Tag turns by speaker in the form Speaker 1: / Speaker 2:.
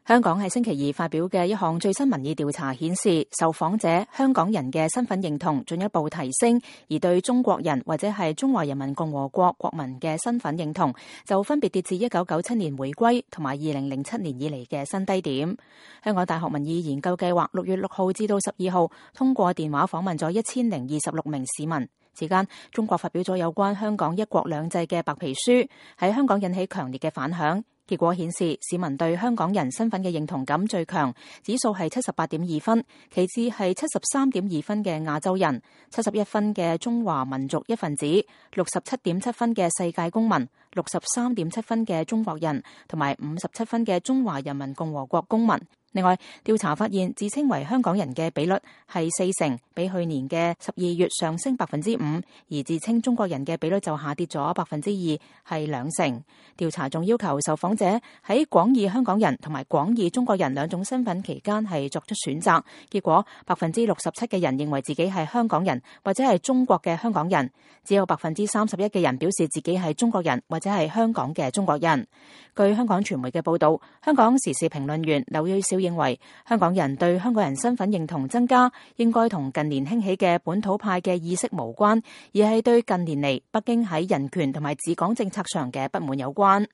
Speaker 1: 香港喺星期二發表嘅一項最新民意調查顯示，受訪者香港人嘅身份認同進一步提升，而對中國人或者係中華人民共和國國民嘅身份認同就分別跌至1997年回歸同埋2007年以嚟嘅新低點。香港大學民意研究計劃6月6號至到12號通過電話訪問咗1026名市民。期間，中國發表咗有關香港一國兩制嘅白皮書，喺香港引起強烈嘅反響。結果顯示，市民對香港人身份嘅認同感最強，指數係78.2分，其次係73.2分嘅亞洲人，71分嘅中華民族一份子，67.7分嘅世界公民，63.7分嘅中國人，同埋57分嘅中華人民共和國公民。另外，調查發現自稱為香港人嘅比率係40%，比去年嘅12月上升5%，而自稱中國人嘅比率就下跌咗2%，係2%。調查仲要求受訪者喺廣義香港人同埋廣義中國人兩種身份期間係作出選擇，結果67%嘅人認為自己係香港人或者係中國嘅香港人，只有31%嘅人表示自己係中國人或者係香港嘅中國人。據香港傳媒嘅報導，香港時事評論員劉銳紹認為香港人對香港人身份認同增加，應該同近年興起嘅本土派嘅意識無關，而係對近年嚟北京喺人權同埋治港政策上嘅不滿有關。